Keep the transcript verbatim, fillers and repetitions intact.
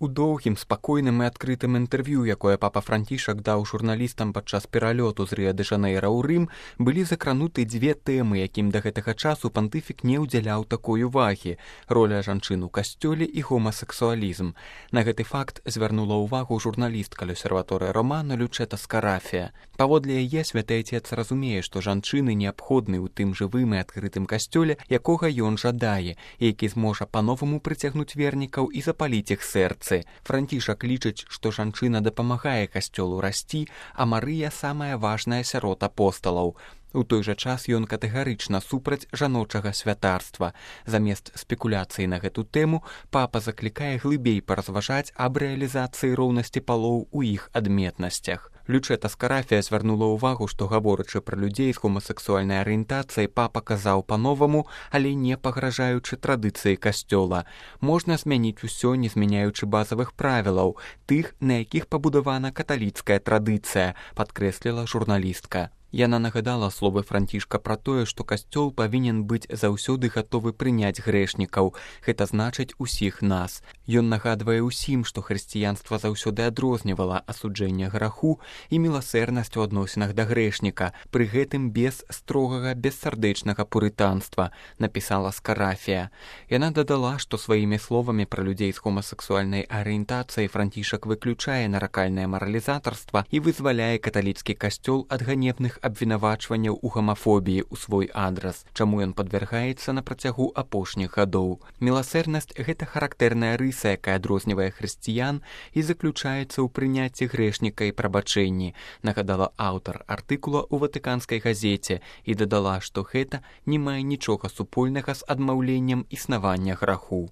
У доўгім, спакойным і адкрытым інтэрв'ю, якое папа Францішак даў журналістам падчас пералёту з Рыа-дэ-Жанэйра ў Рым, былі закрануты дзве тэмы, якім да гэтага часу пантыфік не ўдзяляў такой увагі – роля жанчын у касцёле і гомасексуалізм. На гэты факт звярнула ўвагу журналістка Лёсерваторыя Романо Лючэта Скарафія. Паводле яе святы Айцец разумее, што жанчыны неабходны ў тым жывым і адкрытым касцёле, якога ён жадае, які зможа па-новаму прыцягнуць вернікаў і запаліць іх сэрцы. Францішак лічыць, што жанчына дапамагае касцёлу расці, а Марыя самая важная сярод апосталаў. У той жа час ён катэгарычна супраць жаночага святарства. Замест спекуляцыі на гэту тэму папа заклікае глыбей паразважаць аб рэалізацыі роўнасці палоў у іх адметнасцях. Лючэта Скарафія звярнула ўвагу, што гаворачы пра людзей з гомасексуальнай арыентацыяй, папа казаў па-новаму, але не пагражаючы традыцыі касцёла. Можна змяніць усё, не змяняючы базавых правілаў, тых, на якіх пабудавана каталіцкая традыцыя, падкрэсліла журналістка. Яна нагадала словы Францішка пра тое, што касцёл павінен быць заўсёды гатовы прыняць грэшнікаў. Гэта значыць усіх нас. Ён нагадвае ўсім, што хрысціянства заўсёды адрознівала асуджэнне граху і міласэрнасць у адносінах да грэшніка, пры гэтым без строгага, бессардэчнага пурытанства, напісала Скарафія. Яна дадала, што сваімі словамі пра людзей з гомасексуальнай арыентацыяй Францішак выключае наракальнае маралізатарства і вызваляе каталіцкі касцёл ад ганебных абвінавачванняў у гамафобіі ў свой адрас, чаму ён падвяргаецца на працягу апошніх гадоў. Міласэрнасць – гэта характэрная рыса, якая адрознівае хрысціян і заключаецца ў прыняцці грэшніка і прабачэнні, нагадала аўтар артыкула ў ватыканскай газеце і дадала, што гэта не мае нічога супольнага з адмаўленнем існавання граху.